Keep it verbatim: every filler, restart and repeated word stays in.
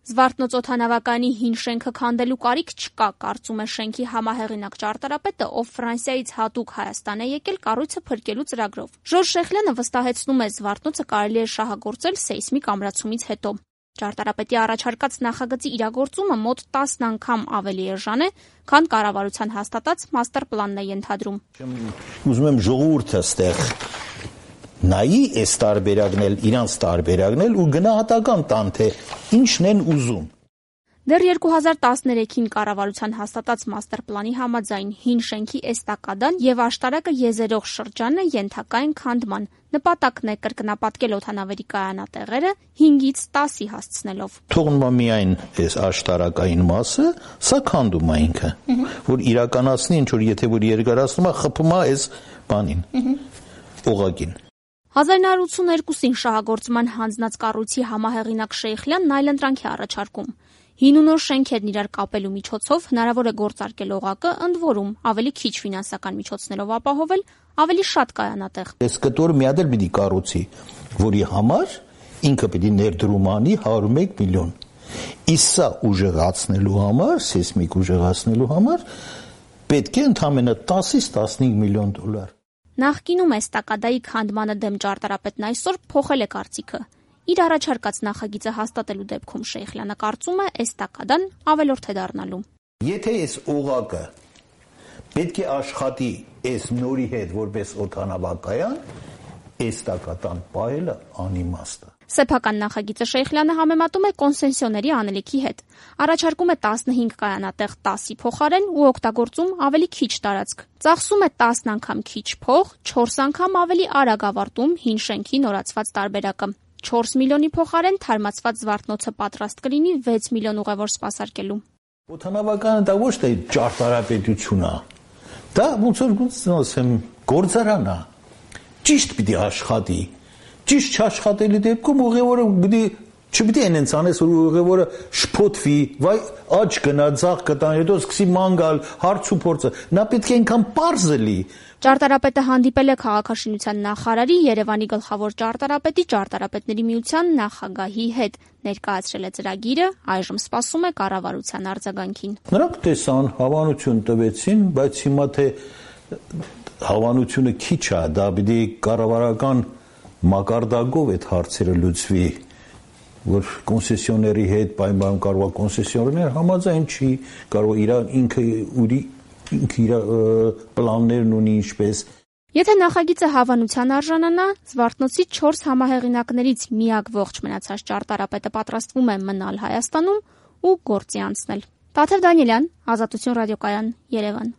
Զվարթնոց օդանավակայանի հին շենքը քանդելու կարիք չկա, կարծում է շենքի համահեղինակ ճարտարապետը, ով Ֆրանսիայից հատուկ Հայաստան է եկել կառույցը փրկելու ծրագրով։ Ժորժ Շեխլյանը վստահեցնում է, զվարթնոցը կարելի է շահագործել սեյսմիկ ամրացումից հետո։ Ճարտարապետի առաջարկած նախագծի իրագործումը մոտ տասն անգամ ավելի էժան է, քան կառավարության հաստատած մաստեր պլանն է ենթադրում։ Ուզում եմ ժողովուրդը ստեղ նայի այս տարբերակն էլ, իրանց տարբերակն էլ ու գնահատական տան, թե ինչն են ուզում։ Դեռ երկու հազար տասներեքին կառավարության հաստատած մաստեր պլանի համաձայն հին շենքի էստակադան եւ աշտարակը եզերող շրջանը ենթակա են քանդման։ Նպատակն է կրկնապատկել օդանավերի կայանատեղերը հինգից տասի հասցնելով։ Թողնում է միայն այս աշտարակային մասը, սա քանդում է ինքը, որ իրականացնի ինչ որ եթե որ երկարացնում է, խփում է այս բանին, օղակին։ հազար նույն հարյուր ութսուներկուսին շահագործման հանձնած կառույցի համահեղինակ Շեյխլյանն այլընտրանք է առաջարկում։ Հին ու նոր շենքերն իրար կապելու միջոցով հնարավոր է գործարկել օղակը, ընդ որում ավելի քիչ ֆինանսական միջոցներով ապահովել ավելի շատ կայանատեղ։ Այս կտորը մի հատ էլ պիտի կառուցի, որի համար ինքը պիտի ներդրում անի հարյուր ու մեկ միլիոն։ Իսկ սա ուժեղացնելու համար, սեյսմիկ ուժեղացնելու համար պետք է ընդամենը տասից տասնհինգ միլիոն դոլար։ Նախկինում էստակադայի քանդմանը դեմ ճարտարապետն այսօր փոխել է կարծիքը։ Իր առաջարկած նախագիծը հաստատելու դեպքում Շեյխլյանը կարծում է էստակադան ավելորդ է դառնալու։ Եթե այս օղակը պետք է աշխատի այս նորի հետ որպես օդանավակայան, էստակադան պահելը անիմաստ է։ Սեփական նախագիծը Շեյխլյանը համեմատում է կոնսեսիոների անելիքի հետ։ Առաջարկում է տասնհինգ կայանատեղ տասի փոխարեն ու օգտագործում ավելի քիչ տարածք։ Ծախսում է տասն անգամ քիչ փող, չորս անգամ ավելի արագ ավարտում հին շենքի նորացված տարբերակը։ չորս միլիոնի փոխարեն թարմացված զվարթնոցը պատրաստ կլինի վեց միլիոն ուղևոր սպասարկելու։ Օդանավակայանը դա ոչ թե ճարտարապետություն է։ Դա ոնց որ ասեմ գործարան է։ Ճիշտ պիտի աշխատի։ Ճիշտ չաշխատելի դեպքում ուղևորը պիտի չպիտի այնց անես որ ուղևորը շփոթվի, վայ աճ գնա, ձախ կտան, հետո սկսի ման գալ, հարց ու փորձը։ Նա պետք է այնքան պարզ լի։ Ճարտարապետը հանդիպել է քաղաքաշինության նախարարի, Երևանի գլխավոր ճարտարապետի, ճարտարապետների միության նախագահի հետ, ներկայացրել է ծրագիրը, այժմ սպասում է կառավարության արձագանքին։ Նրանք տեսան, հավանություն տվեցին, բայց հիմա թե հավանությունը քիչ է, դա պիտի կառավարական մակարդակով այդ հարցերը լուծվի, որ կոնսեսիոների հետ պայման կարող է կոնսեսիոներ համաձայն չի, կարող իր ինքը ուրի ինքը իր պլաններն ունի ինչպես։ Եթե նախագիծը հավանության արժանանա, Զվարթնոցի չորս համահեղինակներից միակ ողջ մնացած ճարտարապետը պատրաստվում է մնալ Հայաստանում ու գործի անցնել։ Տաթև Դանիելյան, Ազատություն ռադիոկայան, Երևան։